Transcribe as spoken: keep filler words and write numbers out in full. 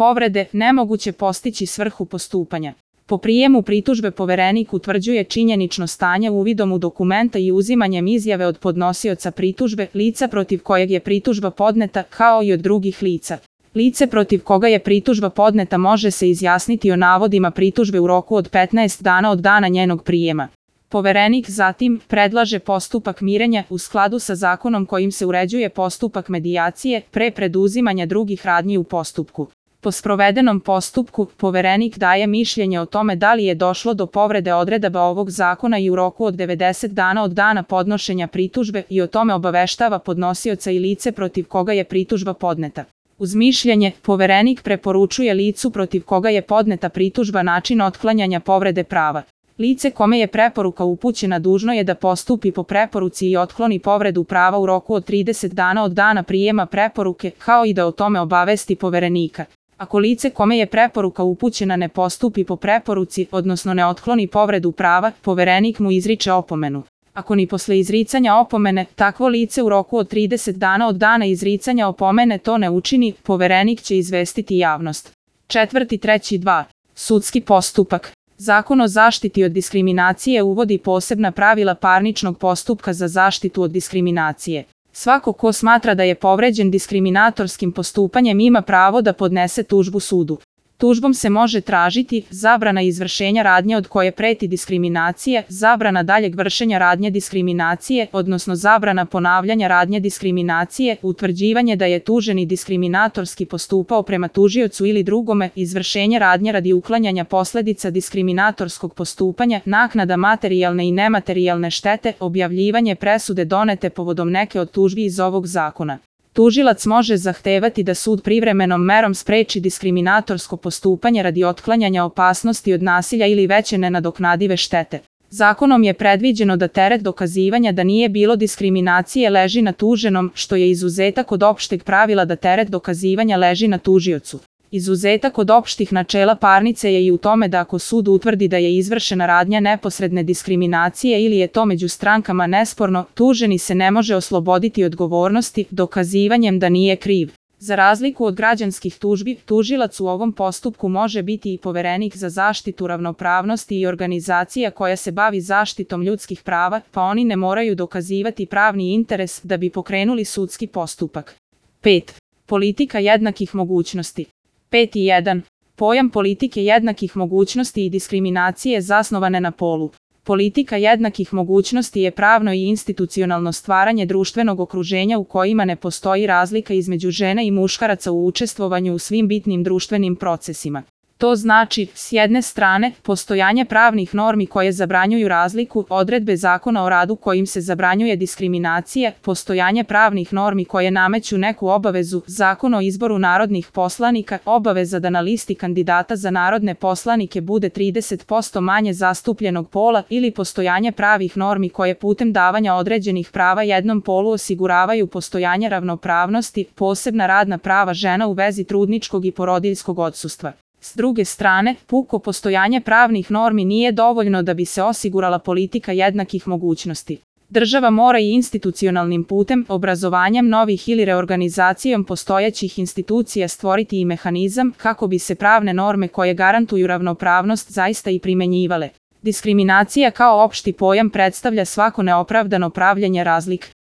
povrede, nemoguće postići svrhu postupanja. Po prijemu pritužbe Poverenik utvrđuje činjenično stanje uvidom u dokumenta i uzimanjem izjave od podnosioca pritužbe, lica protiv kojeg je pritužba podneta, kao i od drugih lica. Lice protiv koga je pritužba podneta može se izjasniti o navodima pritužbe u roku od petnaest dana od dana njenog prijema. Poverenik zatim predlaže postupak mirenja u skladu sa zakonom kojim se uređuje postupak medijacije pre preduzimanja drugih radnji u postupku. Po sprovedenom postupku, Poverenik daje mišljenje o tome da li je došlo do povrede odredaba ovog zakona i u roku od devedeset dana od dana podnošenja pritužbe i o tome obaveštava podnosioca i lice protiv koga je pritužba podneta. Uz mišljenje, Poverenik preporučuje licu protiv koga je podneta pritužba način otklanjanja povrede prava. Lice kome je preporuka upućena dužno je da postupi po preporuci i otkloni povredu prava u roku od trideset dana od dana prijema preporuke, kao i da o tome obavesti Poverenika. Ako lice kome je preporuka upućena ne postupi po preporuci, odnosno ne otkloni povredu prava, Poverenik mu izriče opomenu. Ako ni posle izricanja opomene, takvo lice u roku od trideset dana od dana izricanja opomene to ne učini, Poverenik će izvestiti javnost. Četvrti treći dva. Sudski postupak. Zakon o zaštiti od diskriminacije uvodi posebna pravila parničnog postupka za zaštitu od diskriminacije. Svako ko smatra da je povređen diskriminatorskim postupanjem ima pravo da podnese tužbu sudu. Tužbom se može tražiti zabrana izvršenja radnje od koje preti diskriminacija, zabrana daljeg vršenja radnje diskriminacije, odnosno zabrana ponavljanja radnje diskriminacije, utvrđivanje da je tuženi diskriminatorski postupao prema tužiocu ili drugome, izvršenje radnje radi uklanjanja posledica diskriminatorskog postupanja, naknada materijalne i nematerijalne štete, objavljivanje presude donete povodom neke od tužbi iz ovog zakona. Tužilac može zahtevati da sud privremenom merom spreči diskriminatorsko postupanje radi otklanjanja opasnosti od nasilja ili veće nenadoknadive štete. Zakonom je predviđeno da teret dokazivanja da nije bilo diskriminacije leži na tuženom, što je izuzetak od opšteg pravila da teret dokazivanja leži na tužiocu. Izuzetak od opštih načela parnice je i u tome da ako sud utvrdi da je izvršena radnja neposredne diskriminacije ili je to među strankama nesporno, tuženi se ne može osloboditi odgovornosti dokazivanjem da nije kriv. Za razliku od građanskih tužbi, tužilac u ovom postupku može biti i Poverenik za zaštitu ravnopravnosti i organizacija koja se bavi zaštitom ljudskih prava, pa oni ne moraju dokazivati pravni interes da bi pokrenuli sudski postupak. pet. Politika jednakih mogućnosti. pet jedan. Pojam politike jednakih mogućnosti i diskriminacije zasnovane na polu. Politika jednakih mogućnosti je pravno i institucionalno stvaranje društvenog okruženja u kojima ne postoji razlika između žena i muškaraca u učestvovanju u svim bitnim društvenim procesima. To znači, s jedne strane, postojanje pravnih normi koje zabranjuju razliku, odredbe Zakona o radu kojim se zabranjuje diskriminacija, postojanje pravnih normi koje nameću neku obavezu, Zakon o izboru narodnih poslanika, obaveza da na listi kandidata za narodne poslanike bude trideset posto manje zastupljenog pola ili postojanje pravih normi koje putem davanja određenih prava jednom polu osiguravaju postojanje ravnopravnosti, posebna radna prava žena u vezi trudničkog i porodiljskog odsustva. S druge strane, puko postojanje pravnih normi nije dovoljno da bi se osigurala politika jednakih mogućnosti. Država mora i institucionalnim putem, obrazovanjem novih ili reorganizacijom postojećih institucija stvoriti i mehanizam kako bi se pravne norme koje garantuju ravnopravnost zaista i primenjivale. Diskriminacija kao opšti pojam predstavlja svako neopravdano pravljenje razlik.